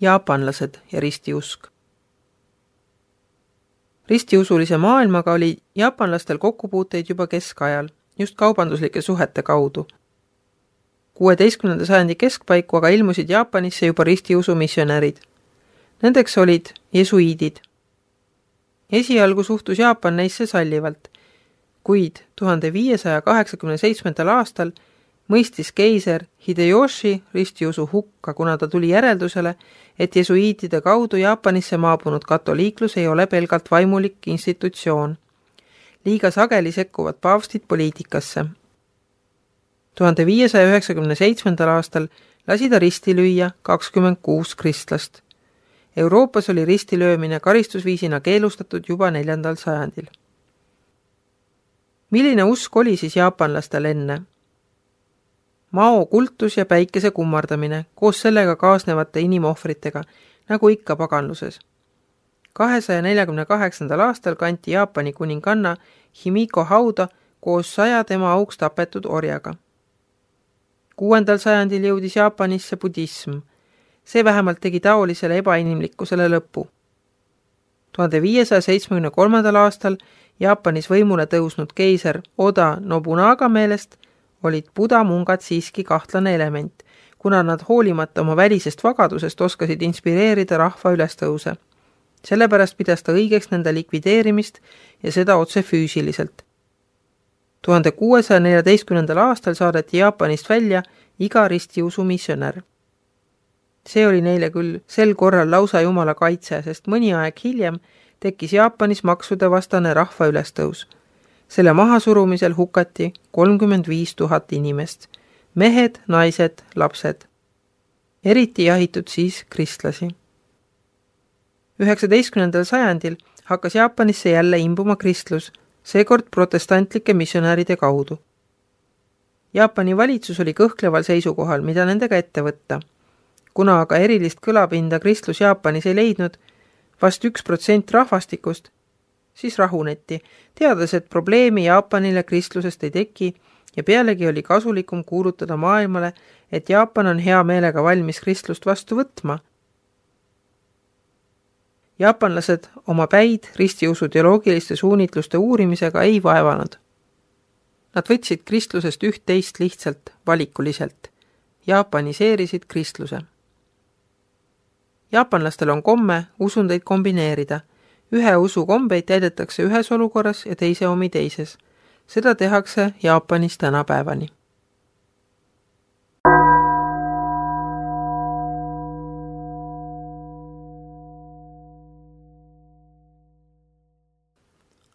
jaapanlased ja ristiusk. Ristiusulise maailmaga oli jaapanlastel kokkupuuteid juba keskajal, just kaubanduslike suhete kaudu. 16. sajandi keskpaiku aga ilmusid Jaapanisse juba ristiusu missionärid. Nendeks olid jesuiidid. Esialgu suhtus Jaapan neisse sallivalt, kuid 1587. aastal mõistis keiser Hideyoshi ristiusu hukka, kuna ta tuli järeldusele, et jesuiitide kaudu Jaapanisse maabunud katoliiklus ei ole pelgalt vaimulik institutsioon. Liiga sageli sekkuvad paavstid poliitikasse. 1597. aastal lasi ta risti lüüa 26 kristlast. Euroopas oli ristilöömine karistusviisina keelustatud juba 4. sajandil. Milline usk oli siis jaapanlastel enne? Mao kultus ja päikese kummardamine koos sellega kaasnevate inimohvritega, nagu ikka paganluses. 248. aastal kanti Jaapani kuninganna Himiko hauda koos 100 tema auks tapetud orjaga. 6. sajandil jõudis Jaapanisse budism. See vähemalt tegi taolisele ebainimlikkusele lõppu. 1573. aastal Jaapanis võimule tõusnud keiser Oda Nobunaga meelest olid Buda mungad siiski kahtlane element, kuna nad hoolimata oma välisest vagadusest oskasid inspireerida rahva ülestõuse. Sellepärast pidas ta õigeks nende likvideerimist ja seda otse füüsiliselt. 1614. aastal saadeti Jaapanist välja iga ristiusu missionär. See oli neile küll sel korral lausa jumala kaitse, sest mõni aeg hiljem tekkis Jaapanis maksude vastane rahva ülestõus. Selle mahasurumisel hukati 35 000 inimest, mehed, naised, lapsed. Eriti jahitud siis kristlasi. 19. sajandil hakkas Jaapanisse jälle imbuma kristlus, seekord protestantlike missionäride kaudu. Jaapani valitsus oli kõhkleval seisukohal, mida nendega ette võtta. Kuna aga erilist kõlapinda kristlus Jaapanis ei leidnud, vast 1% rahvastikust, siis rahuneti, teades, et probleemi Jaapanile kristlusest ei teki ja pealegi oli kasulikum kuulutada maailmale, et Jaapan on hea meelega valmis kristlust vastu võtma. Jaapanlased oma päid ristiusu teoloogiliste suunitluste uurimisega ei vaevanud. Nad võtsid kristlusest üht-teist lihtsalt valikuliselt, jaapaniseerisid kristluse. Jaapanlastel on komme usundeid kombineerida. Ühe usu kombeid täidetakse ühes olukorras ja teise omi teises. Seda tehakse Jaapanis tänapäevani.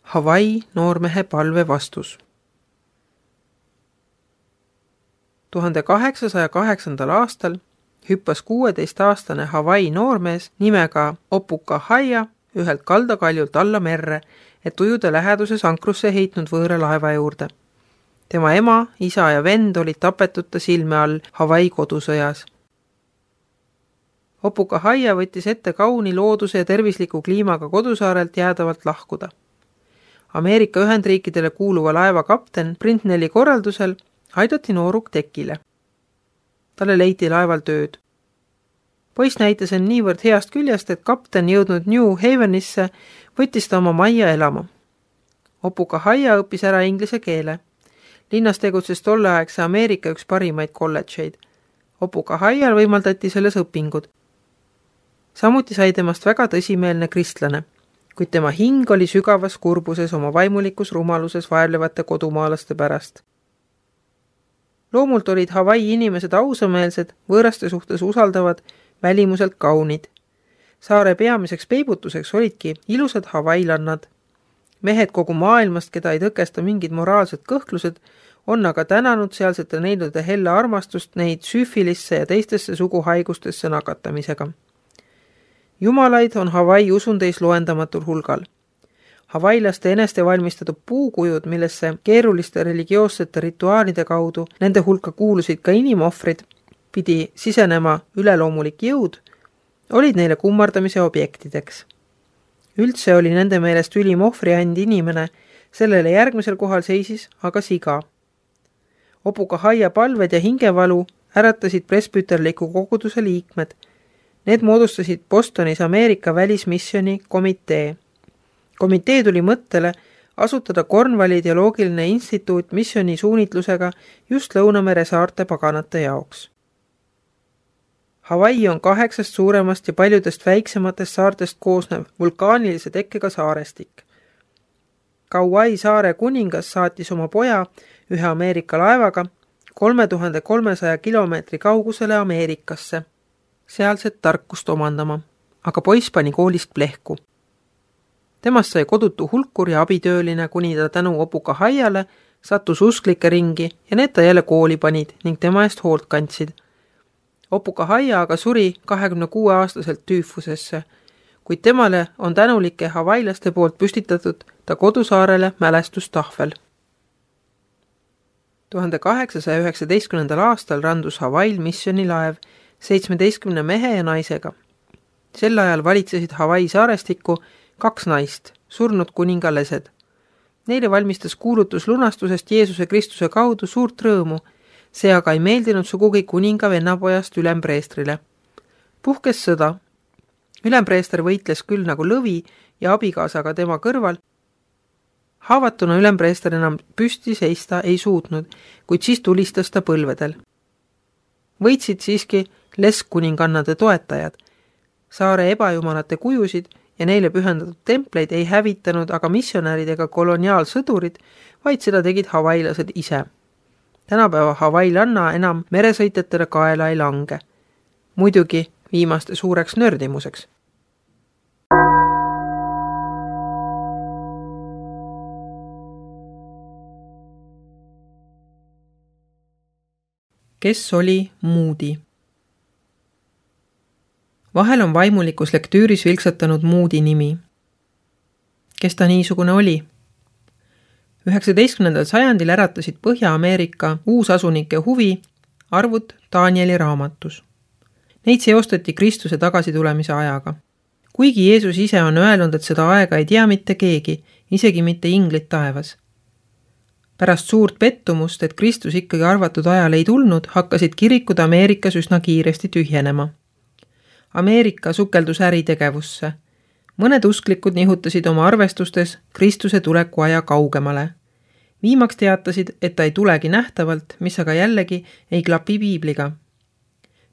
Hawaii noormehe palve vastus. 1808. aastal hüppas 16-aastane Hawaii noormees nimega Opuka Haia ühelt kaldakaljult alla merre, et ujuda läheduses ankrusse heitnud võõra laeva juurde. Tema ema, isa ja vend olid tapetud ta silme all Hawaii kodusõjas. Opuka Haia võttis ette kauni looduse ja tervisliku kliimaga kodusaarelt jäädavalt lahkuda. Ameerika Ühendriikidele kuuluva laeva kapten Brintnelli korraldusel aidati nooruk tekile. Talle leiti laeval tööd. Poiss näitas end niivõrd heast küljest, et kapten jõudnud New Havenisse võttis ta oma majja elama. Opuka Haia õppis ära inglise keele. Linnas tegutses tolleaegse Ameerika üks parimaid kolledžeid. Opuka Haial võimaldati selles õpingud. Samuti sai temast väga tõsimeelne kristlane, kuid tema hing oli sügavas kurbuses oma vaimulikus rumaluses vaevlevate kodumaalaste pärast. Loomult olid Hawaii inimesed ausameelsed, võõraste suhtes usaldavad, välimuselt kaunid. Saare peamiseks peibutuseks olidki ilusad havailannad. Mehed kogu maailmast, keda ei tõkesta mingid moraalsed kõhklused, on aga tänanud sealsete neilade helle armastust neid süüfilisse ja teistesse suguhaigustesse nakatamisega. Jumalaid on Hawaii usundeis loendamatul hulgal. Hawaiilaste eneste valmistatud puukujud, millesse keeruliste religioossete rituaalide kaudu nende hulka kuulusid ka inimohvrid, pidi sisenema üleloomulik jõud, olid neile kummardamise objektideks. Üldse oli nende meelest ülim ohvriand inimene, sellele järgmisel kohal seisis aga siga. Opuka Haia palved ja hingevalu äratasid presbüterliku koguduse liikmed. Need moodustasid Bostonis Ameerika välismisjoni komitee. Komitee tuli mõttele asutada Cornwalli teoloogiline instituut misjoni suunitlusega just Lõunamere saarte paganate jaoks. Hawaii on 8 suuremast ja paljudest väiksematest saartest koosnev vulkaanilise tekkega saarestik. Kauai saare kuningas saatis oma poja ühe Ameerika laevaga 3300 kilomeetri kaugusele Ameerikasse, sealset tarkust omandama, aga poiss pani koolist plehku. Temast sai kodutu hulkur ja abitööline, kuni ta tänu opuka Haiale sattus usklike ringi ja need ta jälle kooli panid ning tema eest hoolt kandsid. Opuka Haia aga suri 26-aastaselt tüüfusesse, kuid temale on tänulike havailaste poolt püstitatud ta kodusaarele mälestustahvel. 1819. aastal randus Hawaii missionilaev 17 mehe ja naisega. Sel ajal valitsesid Hawaii saarestikku 2 naist, surnud kuningalesed. Neile valmistas kuulutus lunastusest Jeesuse Kristuse kaudu suurt rõõmu, see aga ei meeldinud sugugi kuninga vennapojast ülempreestrile. Puhkes sõda. Ülempreester võitles küll nagu lõvi ja abikaasaga tema kõrval. Haavatuna ülempreester enam püsti seista ei suutnud, kuid siis tulistas ta põlvedel. Võitsid siiski leskkuningannade toetajad. Saare ebajumalate kujusid ja neile pühendatud templeid ei hävitanud aga missionärid ega koloniaalsõdurid, vaid seda tegid havailased ise. Tänapäeva havailanna enam meresõitjatele kaela ei lange. Muidugi viimaste suureks nördimuseks. Kes oli Moody? Vahel on vaimulikus lektüüris vilksatanud Moody nimi. Kes ta niisugune oli? 19. sajandil äratasid Põhja-Ameerika uusasunike huvi arvud Danieli raamatus. Neid seostati Kristuse tagasitulemise ajaga. Kuigi Jeesus ise on öelnud, et seda aega ei tea mitte keegi, isegi mitte inglid taevas. Pärast suurt pettumust, et Kristus ikkagi arvatud ajal ei tulnud, hakkasid kirikud Ameerikas üsna kiiresti tühjenema. Ameerika sukeldus äritegevusse. Mõned usklikud nihutasid oma arvestustes Kristuse tuleku aja kaugemale. Viimaks teatasid, et ta ei tulegi nähtavalt, mis aga jällegi ei klapi piibliga.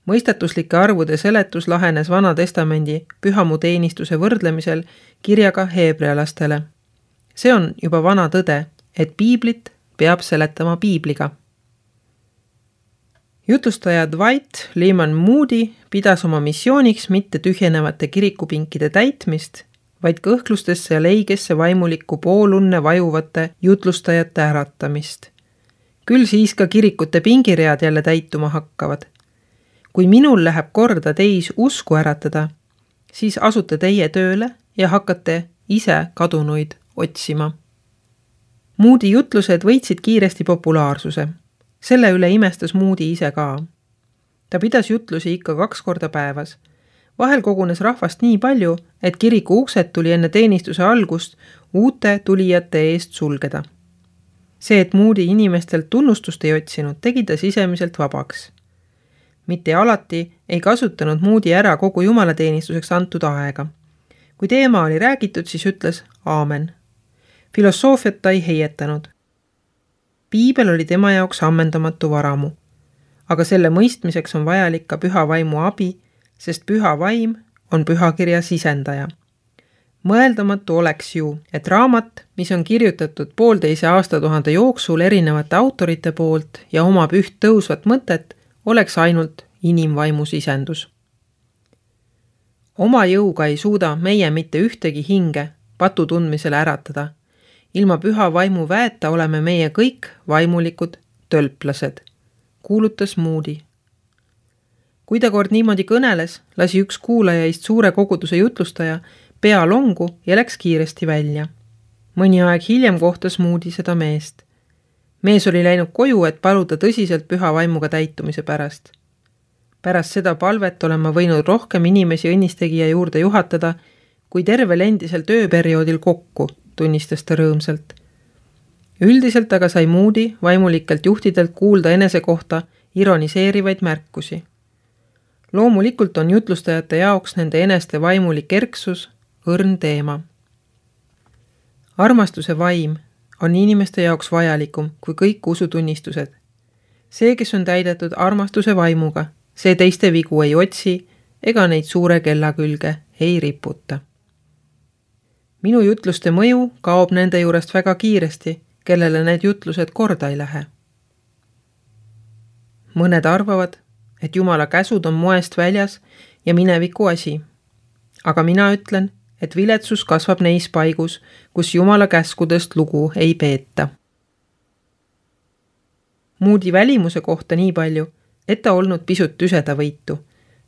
Mõistatuslike arvude seletus lahenes Vana Testamendi pühamuteenistuse võrdlemisel kirjaga heebrealastele. See on juba vana tõde, et piiblit peab seletama piibliga. Jutlustaja Dwight Lyman Moody pidas oma missiooniks mitte tühjenevate kirikupinkide täitmist, vaid kõhklustesse ja leigesse vaimulikku poolunne vajuvate jutlustajate äratamist. Küll siis ka kirikute pingiread jälle täituma hakkavad. Kui minul läheb korda teis usku äratada, siis asute teie tööle ja hakkate ise kadunuid otsima. Moody jutlused võitsid kiiresti populaarsuse. Selle üle imestas Moody ise ka. Ta pidas jutlusi ikka 2 korda päevas. Vahel kogunes rahvast nii palju, et kiriku uksed tuli enne teenistuse algust uute tulijate eest sulgeda. See, et Moody inimestelt tunnustust ei otsinud, tegi ta sisemiselt vabaks. Mitte alati ei kasutanud Moody ära kogu jumalateenistuseks antud aega. Kui teema oli räägitud, siis ütles aamen. Filosoofiat ta ei heietanud. Piibel oli tema jaoks ammendamatu varamu, aga selle mõistmiseks on vajalik ka püha vaimu abi, sest püha vaim on pühakirja sisendaja. Mõeldamatu oleks ju, et raamat, mis on kirjutatud 1,5 aastatuhande jooksul erinevate autorite poolt ja omab üht tõusvat mõtet, oleks ainult inimvaimu sisendus. Oma jõuga ei suuda meie mitte ühtegi hinge patu tundmisele äratada. Ilma püha vaimu väeta oleme meie kõik vaimulikud tölplased, kuulutas Moody. Kui ta kord niimoodi kõneles, lasi üks kuulajaist suure koguduse jutlustaja pea longu ja läks kiiresti välja. Mõni aeg hiljem kohtas Moody seda meest. Mees oli läinud koju, et paluda tõsiselt püha vaimuga täitumise pärast. Pärast seda palvet olen ma võinud rohkem inimesi õnnistegija juurde juhatada, kui tervel endisel tööperioodil kokku, tunnistas ta rõõmsalt. Üldiselt aga sai Moody vaimulikelt juhtidelt kuulda enese kohta ironiseerivaid märkusi. Loomulikult on jutlustajate jaoks nende eneste vaimulik kerksus õrn teema. Armastuse vaim on inimeste jaoks vajalikum kui kõik usutunnistused. See, kes on täidetud armastuse vaimuga, see teiste vigu ei otsi ega neid suure kella külge ei riputa. Minu jutluste mõju kaob nende juurest väga kiiresti, kellele need jutlused korda ei lähe. Mõned arvavad, et Jumala käsud on moest väljas ja mineviku asi. Aga mina ütlen, et viletsus kasvab neis paigus, kus Jumala käskudest lugu ei peeta. Moody välimuse kohta nii palju, et ta olnud pisut tüsedavõitu,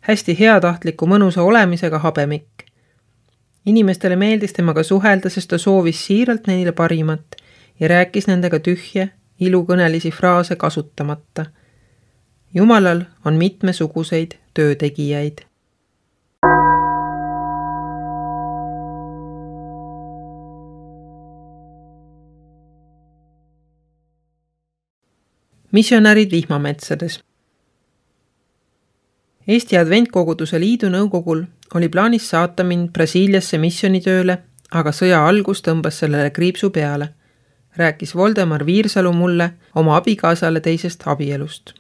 hästi heatahtliku mõnusa olemisega habemik. Inimestele meeldis temaga suhelda, sest ta soovis siiralt neile parimat ja rääkis nendega tühje, ilukõnelisi fraase kasutamata. Jumalal on mitmesuguseid töötegijaid. Missionärid vihmametsades. Eesti Adventkoguduse Liidu nõukogul oli plaanis saata mind Brasiiliasse missionitööle, aga sõja algus tõmbas sellele kriipsu peale, rääkis Voldemar Viirsalu mulle oma abikaasale teisest abielust.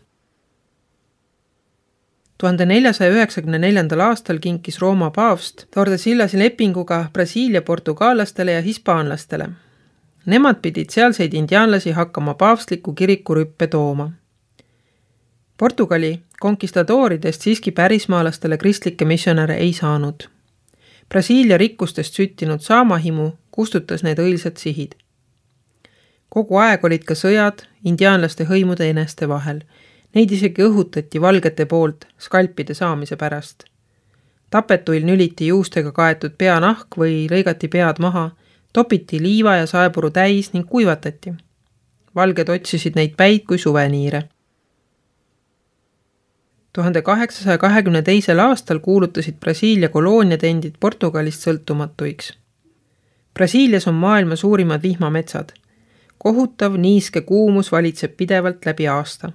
1494. aastal kinkis Rooma paavst Tordesillas lepinguga Brasiilia portugaalastele ja hispaanlastele. Nemad pidid sealseid indiaanlasi hakkama paavstliku kirikurüppe tooma. Portugali konkistadooridest siiski pärismaalastele kristlikke missionäre ei saanud. Brasiilia rikkustest süttinud saamahimu kustutas need õilsad sihid. Kogu aeg olid ka sõjad indiaanlaste hõimude eneste vahel. Neid isegi õhutati valgete poolt skalpide saamise pärast. Tapetuil nüliti juustega kaetud peanahk või lõigati pead maha, topiti liiva ja saepuru täis ning kuivatati. Valged otsisid neid päid kui suveniire. 1822. aastal kuulutasid Brasiilia kolooniad endid Portugalist sõltumatuiks. Brasiilias on maailma suurimad vihmametsad. Kohutav niiske kuumus valitseb pidevalt läbi aasta.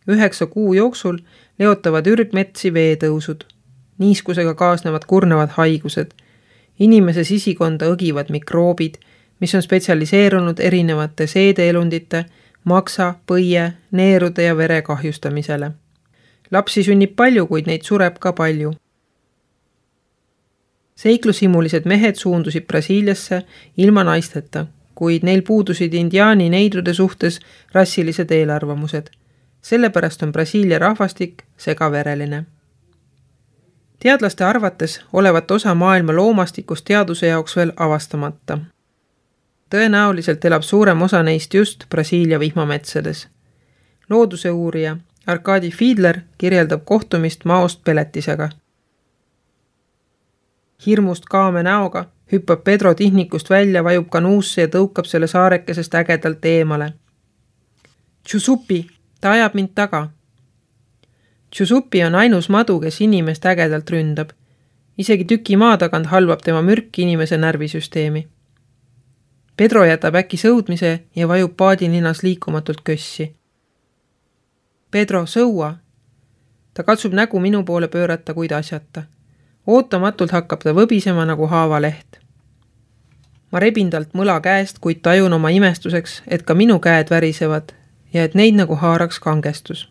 9 kuu jooksul leotavad ürgmetsi veetõusud. Niiskusega kaasnevad kurnevad haigused. Inimese sisikonda õgivad mikroobid, mis on spetsialiseerunud erinevate seedeelundite, maksa, põie, neerude ja vere kahjustamisele. Lapsi sünnib palju, kuid neid sureb ka palju. Seiklushimulised mehed suundusid Brasiiliasse ilma naisteta, kuid neil puudusid indiaani neidrude suhtes rassilised eelarvamused. Sellepärast on Brasiilia rahvastik segavereline. Teadlaste arvates olevat osa maailma loomastikust teaduse jaoks veel avastamata. Tõenäoliselt elab suurem osa neist just Brasiilia vihmametsades. Looduse uurija Arkadi Fiedler kirjeldab kohtumist maost peletisega. Hirmust kaame näoga hüppab Pedro tihnikust välja, vajub kanuusse ja tõukab selle saarekesest ägedalt eemale. Tšusupi, ta ajab mind taga. Tšusupi on ainus madu, kes inimest ägedalt ründab. Isegi tüki maa tagant halvab tema mürk inimese närvisüsteemi. Pedro jätab äkki sõudmise ja vajub paadilinas liikumatult kössi. Pedro, sõua! Ta katsub nägu minu poole pöörata, kuid asjata. Ootamatult hakkab ta võbisema nagu haavaleht. Ma rebin talt mõla käest, kuid tajun oma imestuseks, et ka minu käed värisevad ja et neid nagu haaraks kangestus.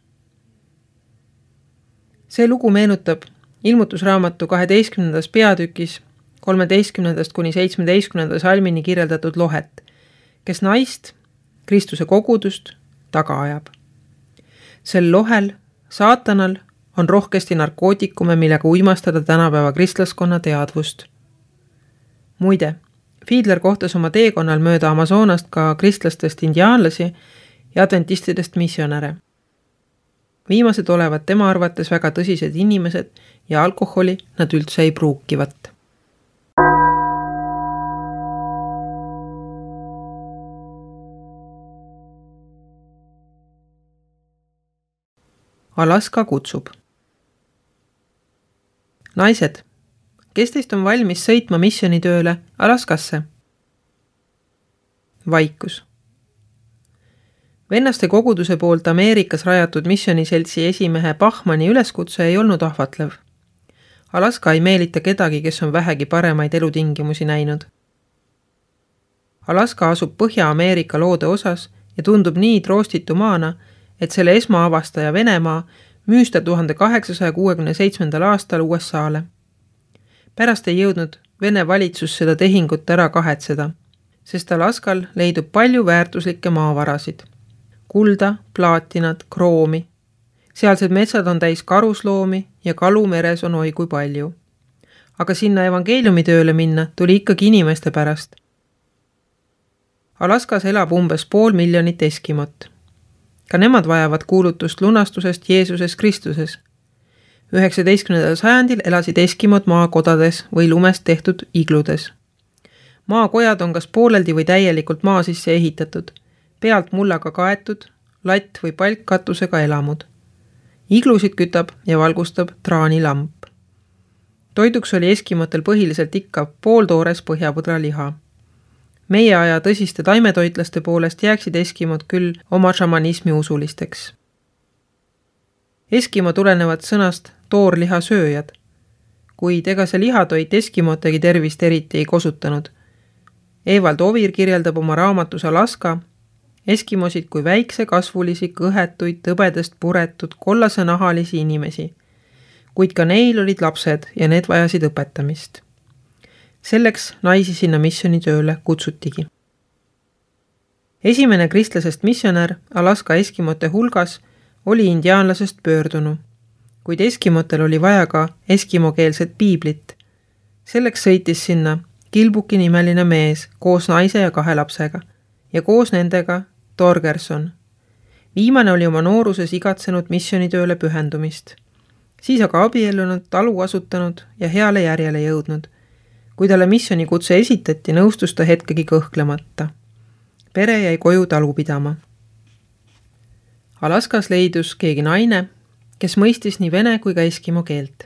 See lugu meenutab ilmutusraamatu 12. peatükis 13. kuni 17. salmini kirjeldatud lohet, kes naist, Kristuse kogudust, taga ajab. Sel lohel, saatanal, on rohkesti narkootikume, millega uimastada tänapäeva kristlaskonna teadvust. Muide, Fiedler kohtas oma teekonnal mööda Amazonast ka kristlastest indiaanlasi ja adventistidest missionäre. Viimased olevat tema arvates väga tõsised inimesed ja alkoholi nad üldse ei pruukivat. Alaska kutsub. Naised, kes teist on valmis sõitma missionitööle Alaskasse? Vaikus. Vennaste koguduse poolt Ameerikas rajatud missioniseltsi esimehe Bachmanni üleskutse ei olnud ahvatlev. Alaska ei meelita kedagi, kes on vähegi paremaid elutingimusi näinud. Alaska asub Põhja-Ameerika loode osas ja tundub nii troostitu maana, et selle esmaavastaja Venemaa müüs ta 1867. aastal USA-le. Pärast ei jõudnud Vene valitsus seda tehingut ära kahetseda, sest Alaskal leidub palju väärtuslikke maavarasid. Kulda, plaatinat, kroomi. Sealsed metsad on täis karusloomi ja kalu meres on oi kui palju. Aga sinna evangeeliumi tööle minna tuli ikkagi inimeste pärast. Alaskas elab umbes 500 000 eskimot. Ka nemad vajavad kuulutust lunastusest Jeesuses Kristuses. 19. sajandil elasid eskimod maakodades või lumest tehtud igludes. Maakojad on kas pooleldi või täielikult maa sisse ehitatud, pealt mullaga kaetud, latt või palkkatusega elamud. Iglusid kütab ja valgustab traanilamp. Toiduks oli eskimotel põhiliselt ikka pooltoores põhjapõdra liha. Meie aja tõsiste taimetoitlaste poolest jääksid eskimod küll oma šamanismi usulisteks. Eskimo tulenevad sõnast toorliha sööjad, kuid ega see lihatoit eskimotegi tervist eriti ei kosutanud. Evald Ovir kirjeldab oma raamatus Alaska eskimosid kui väikse kasvulisi, kõhetuid, tõbedest puretud, kollase nahalisi inimesi, kuid ka neil olid lapsed ja need vajasid õpetamist. Selleks naisi sinna missionitööle kutsutigi. Esimene kristlasest missionär Alaska eskimote hulgas oli indiaanlasest pöördunu, kuid eskimotel oli vaja ka eskimokeelset piiblit. Selleks sõitis sinna Kilbuki nimeline mees koos naise ja 2 lapsega ja koos nendega Torgerson. Viimane oli oma nooruses igatsenud missionitööle pühendumist. Siis aga abiellunud, talu asutanud ja heale järjele jõudnud. Kui talle missionikutse esitati, nõustus ta hetkegi kõhklemata. Pere jäi koju talu pidama. Alaskas leidus keegi naine, kes mõistis nii vene kui ka eskimo keelt.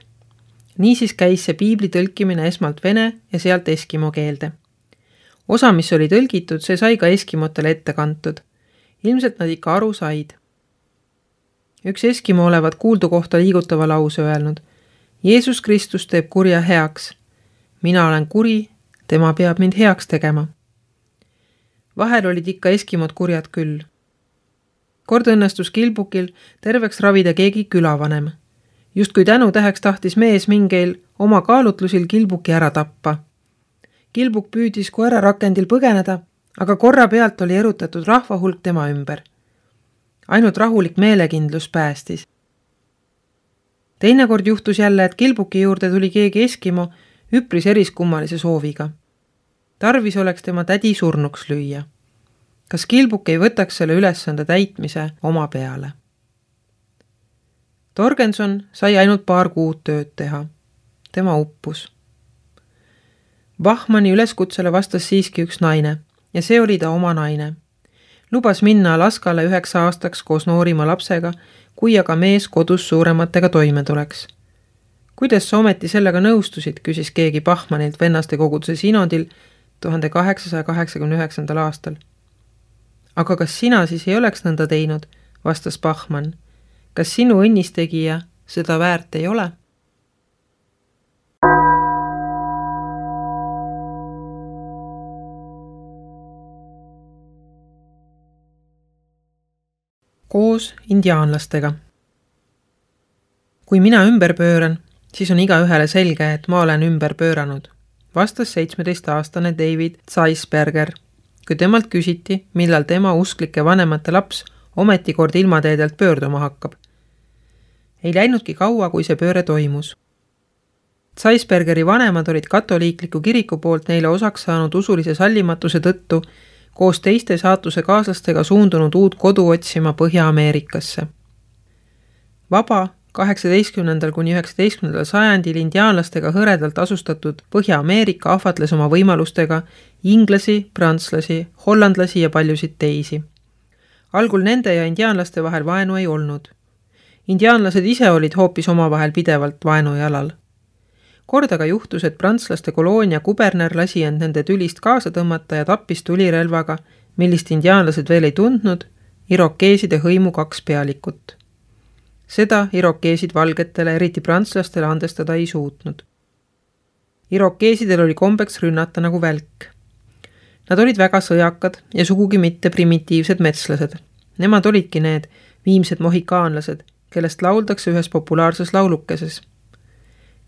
Niisiis käis see piibli tõlkimine esmalt vene ja sealt eskimo keelde. Osa, mis oli tõlgitud, see sai ka eskimotele ette kantud. Ilmselt nad ikka aru said. Üks eskimo olevat kuuldu kohta liigutava lause öelnud. Jeesus Kristus teeb kurja heaks. Mina olen kuri, tema peab mind heaks tegema. Vahel olid ikka eskimod kurjad küll. Kord õnnestus Kilbukil terveks ravida keegi külavanem. Just kui tänutäheks tahtis mees mingeil oma kaalutlusil Kilbuki ära tappa. Kilbuk püüdis koera rakendil põgeneda, aga korra pealt oli erutatud rahvahulk tema ümber. Ainult rahulik meelekindlus päästis. Teinekord juhtus jälle, et Kilbuki juurde tuli keegi eskimo üpris eriskummalise sooviga. Tarvis oleks tema tädi surnuks lüüa. Kas Kilbuk ei võtaks selle ülesande täitmise oma peale? Torgenson sai ainult 2 kuud tööd teha. Tema uppus. Bachmanni üleskutsele vastas siiski üks naine ja see oli ta oma naine. Lubas minna Alaskale 9 aastaks koos noorima lapsega, kui aga mees kodus suurematega toime tuleks. Kuidas sa ometi sellega nõustusid, küsis keegi Bachmannilt vennaste koguduse sinodil 1889. aastal. Aga kas sina siis ei oleks nõnda teinud, vastas Bachmann. Kas sinu õnnistegija seda väärt ei ole? Koos indiaanlastega. Kui mina ümber pööran, siis on igaühele selge, et ma olen ümber pööranud, vastas 17-aastane David Zeisberger, kui temalt küsiti, millal tema usklike vanemate laps ometikord ilmateedelt pöörduma hakkab. Ei läinudki kaua, kui see pööre toimus. Zeisbergeri vanemad olid katoliikliku kiriku poolt neile osaks saanud usulise sallimatuse tõttu koos teiste saatuse kaaslastega suundunud uut kodu otsima Põhja-Ameerikasse. Vaba 18. kuni 19. sajandil indiaanlastega hõredalt asustatud Põhja-Ameerika ahvatles oma võimalustega inglasi, prantslasi, hollandlasi ja paljusid teisi. Algul nende ja indiaanlaste vahel vaenu ei olnud. Indiaanlased ise olid hoopis omavahel pidevalt vaenujalal. Kord aga juhtus, et prantslaste koloonia kuberner lasi end nende tülist kaasa tõmmata ja tappis tulirelvaga, millist indiaanlased veel ei tundnud, irokeeside hõimu 2 pealikut. Seda irokeesid valgetele, eriti prantslastele andestada ei suutnud. Irokeesidel oli kombeks rünnata nagu välk. Nad olid väga sõjakad ja sugugi mitte primitiivsed metslased. Nemad olidki need viimsed mohikaanlased, kellest lauldakse ühes populaarses laulukeses.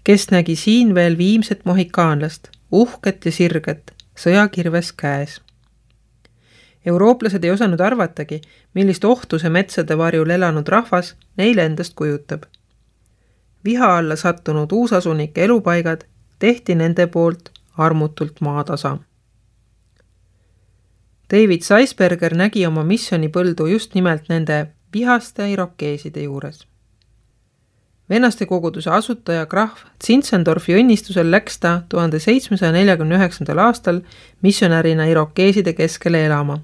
Kes nägi siin veel viimset mohikaanlast, uhket ja sirget, sõjakirves käes. Eurooplased ei osanud arvatagi, millist ohtu see metsade varjul elanud rahvas neile endast kujutab. Viha alla sattunud uusasunike elupaigad tehti nende poolt armutult maatasa. David Zeisberger nägi oma missionipõldu just nimelt nende vihaste irokeeside juures. Vennaste koguduse asutaja Graf Zinzendorfi õnnistusel läks ta 1749. aastal missionärina irokeeside keskele elama.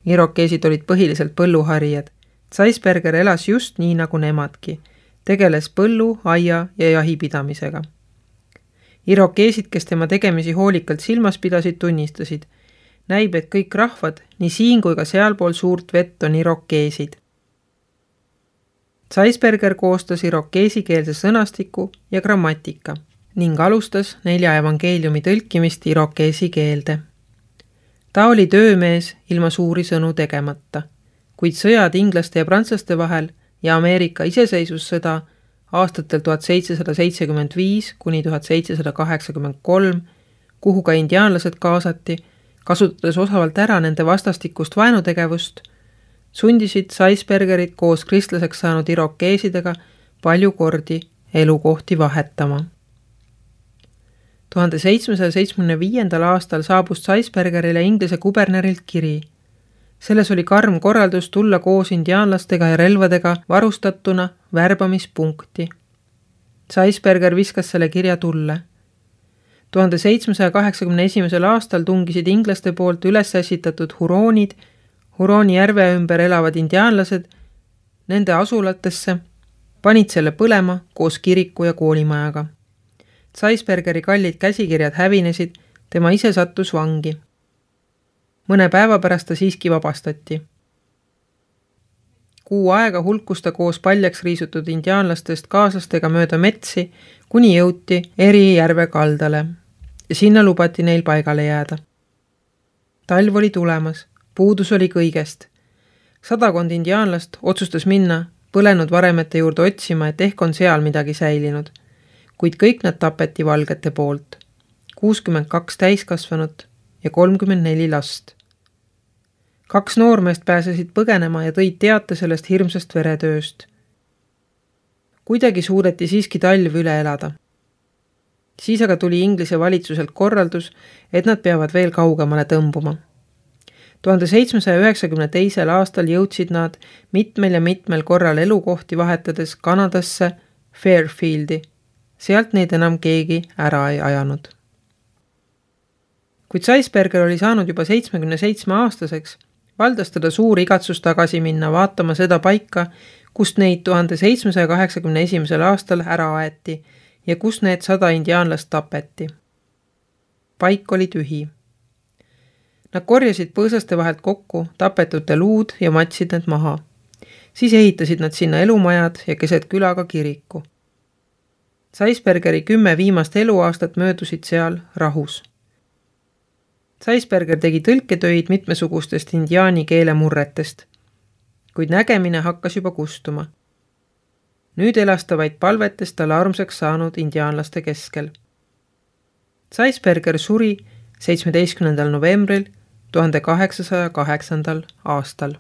Irokeesid olid põhiliselt põlluharijad. Zeisberger elas just nii nagu nemadki, tegeles põllu, aia ja jahipidamisega. Irokeesid, kes tema tegemisi hoolikalt silmas pidasid, tunnistasid. Näib, et kõik rahvad, nii siin kui ka sealpool suurt vett on irokeesid. Zeisberger koostas irokeesikeelse sõnastiku ja grammatika ning alustas 4 evangeeliumi tõlkimist irokeesi keelde. Ta oli töömees ilma suuri sõnu tegemata, kuid sõjad inglaste ja prantslaste vahel ja Ameerika iseseisvussõda aastatel 1775 kuni 1783, kuhu ka indiaanlased kaasati, kasutades osavalt ära nende vastastikust vaenutegevust, sundisid Zeisbergerit koos kristlaseks saanud irokeesidega palju kordi elukohti vahetama. 1775. aastal saabus Zeisbergerile Inglise kubernerilt kiri. Selles oli karm korraldus tulla koos indiaanlastega ja relvadega varustatuna värbamispunkti. Zeisberger viskas selle kirja tulle. 1781. aastal tungisid inglaste poolt üles ässitatud huroonid, Hurooni järve ümber elavad indiaanlased, nende asulatesse, panid selle põlema koos kiriku ja koolimajaga. Zeisbergeri kallid käsikirjad hävinesid, tema ise sattus vangi. Mõne päeva pärast ta siiski vabastati. Kuu aega hulkus ta koos paljaks riisutud indiaanlastest kaaslastega mööda metsi, kuni jõuti Eri järve kaldale ja sinna lubati neil paigale jääda. Talv oli tulemas, puudus oli kõigest. 100 indiaanlast otsustas minna põlenud varemete juurde otsima, et ehk on seal midagi säilinud, kuid kõik nad tapeti valgete poolt. 62 täiskasvanut ja 34 last. 2 noormeest pääsesid põgenema ja tõid teate sellest hirmsast veretööst. Kuidagi suudeti siiski talv üle elada. Siis aga tuli Inglise valitsuselt korraldus, et nad peavad veel kaugemale tõmbuma. 1792. aastal jõudsid nad mitmel korral elukohti vahetades Kanadasse Fairfieldi. Sealt neid enam keegi ära ei ajanud. Kuid Zeisberger oli saanud juba 77 aastaseks, valdas teda suur igatsus tagasi minna vaatama seda paika, kust neid 1781. aastal ära aeti ja kus need 100 indiaanlast tapeti. Paik oli tühi. Nad korjasid põõsaste vahelt kokku tapetute luud ja matsid need maha. Siis ehitasid nad sinna elumajad ja keset külaga kiriku. Zeisbergeri 10 viimast eluaastat möödusid seal rahus. Zeisberger tegi tõlketöid mitmesugustest indiaani keele murretest, kuid nägemine hakkas juba kustuma. Nüüd elas ta vaid palvetest talle armsaks saanud indiaanlaste keskel. Zeisberger suri 17. novembril 1808. aastal.